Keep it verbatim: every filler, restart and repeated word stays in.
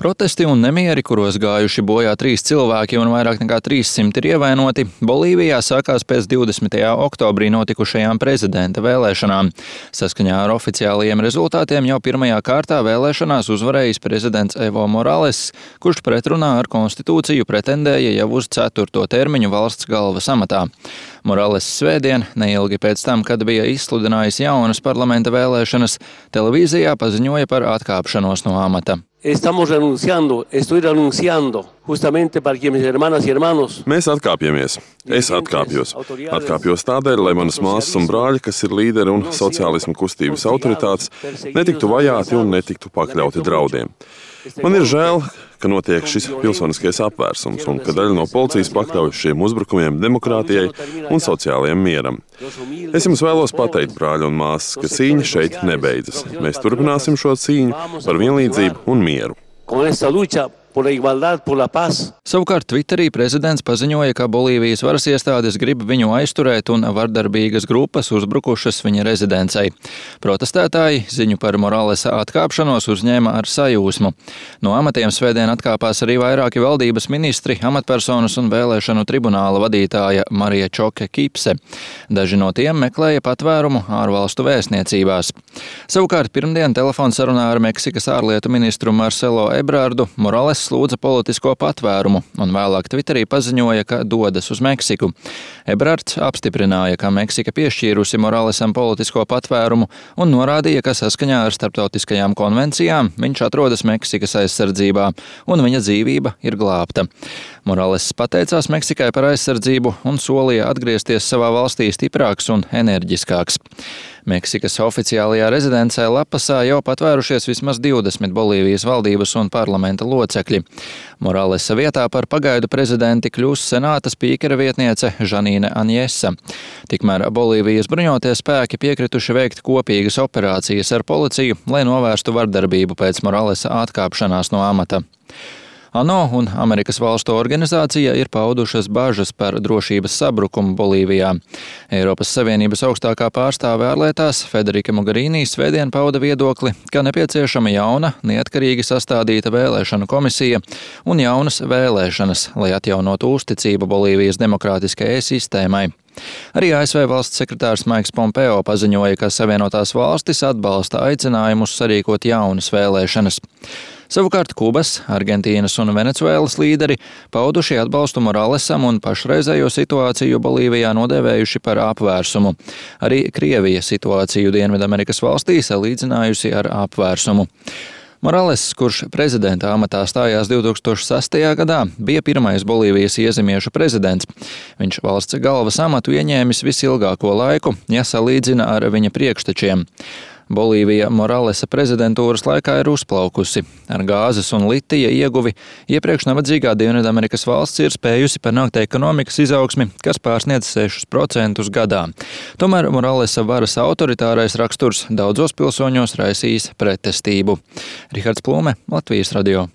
Protesti un nemieri, kuros gājuši bojā trīs cilvēki un vairāk nekā trīssimt ir ievainoti, Bolīvijā sākās pēc divdesmitajā oktobrī notikušajām prezidenta vēlēšanām. Saskaņā ar oficiālajiem rezultātiem jau pirmajā kārtā vēlēšanās uzvarējis prezidents Evo Morales, kurš pretrunā ar konstitūciju pretendēja jau uz ceturto termiņu valsts galvas amatā. Morales svētdien, neilgi pēc tam, kad bija izsludinājis jaunas parlamenta vēlēšanas, televīzijā paziņoja par atkāpšanos no amata. Estamos renunciando, estoy renunciando, justamente para que mis hermanas y hermanos. Mēs atkāpjamies. Es atkāpjos. Atkāpjos tādēļ, lai manas māsas un brāļi, kas ir līderi un sociālisma kustības autoritātes, netiktu vajāti un netiktu pakļauti draudiem. Man ir žēl, ka notiek šis pilsoniskais apvērsums un ka daļa no policijas pakļaujas šiem uzbrukumiem demokrātijai un sociālajiem mieram. Es jums vēlos pateikt, brāļi un māsas, ka cīņa šeit nebeidzas. Mēs turpināsim šo cīņu par vienlīdzību un mieru. Savukārt Twitterī prezidents paziņoja, ka Bolīvijas varas iestādes grib viņu aizturēt un vardarbīgas grupas uzbrukušas viņa rezidencei. Protestētāji ziņu par Moralesa atkāpšanos uzņēma ar sajūsmu. No amatiem svētdien atkāpās arī vairāki valdības ministri, amatpersonas un vēlēšanu tribunāla vadītāja Marija Čoke Kipse. Daži no tiem meklēja patvērumu ārvalstu vēstniecībās. Savukārt pirmdien telefonsarunā ar Meksikas ārlietu ministru Marcelo Ebrardu Morales lūdza politisko patvērumu un vēlāk Twitterī paziņoja, ka dodas uz Meksiku. Ebrards apstiprināja, ka Meksika piešķīrusi Moralesam politisko patvērumu un norādīja, ka saskaņā ar starptautiskajām konvencijām viņš atrodas Meksikas aizsardzībā un viņa dzīvība ir glābta. Morales pateicās Meksikai par aizsardzību un solīja atgriezties savā valstī stiprāks un enerģiskāks. Meksikas oficiālajā rezidencē Lapasā jau patvērušies vismaz divdesmit Bolīvijas valdības un parlamenta locekļi. Moralesa vietā par pagaidu prezidenti kļūs senāta spīkera vietniece Žanīne Anjesa. Tikmēr Bolīvijas bruņotie spēki piekrituši veikt kopīgas operācijas ar policiju, lai novērstu vardarbību pēc Moralesa atkāpšanās no amata. ANO un Amerikas valstu organizācija ir paudušas bažas par drošības sabrukumu Bolīvijā. Eiropas Savienības augstākā pārstāve ārlietās Federika Mogherini svētdien pauda viedokli, ka nepieciešama jauna, neatkarīgi sastādīta vēlēšanu komisija un jaunas vēlēšanas, lai atjaunotu uzticību Bolīvijas demokrātiskajai sistēmai. Arī A S V valsts sekretārs Maiks Pompeo paziņoja, ka Savienotās valstis atbalsta aicinājumus sarīkot jaunas vēlēšanas. Savukārt Kubas, Argentīnas un Venecuēlas līderi pauduši atbalstu Moralesam un pašreizējo situāciju Bolīvijā nodēvējuši par apvērsumu. Arī Krievija situāciju Dienvidamerikas valstīs salīdzinājusi ar apvērsumu. Morales, kurš prezidenta amatā stājās divtūkstoš sastajā gadā, bija pirmais Bolīvijas iezemiešu prezidents. Viņš valsts galvas amatu ieņēmis visilgāko laiku, ja salīdzina ar viņa priekštečiem. Bolīvija Moralesa prezidentūras laikā ir uzplaukusi. Ar gāzes un litija ieguvi iepriekš nabadzīgā Dienvidamerikas valsts ir spējusi panākt ekonomikas izaugsmi, kas pārsniedz sešus procentus gadā. Tomēr Moralesa varas autoritārais raksturs daudzos pilsoņos raisījis pretestību. Rihards Plūme, Latvijas radio.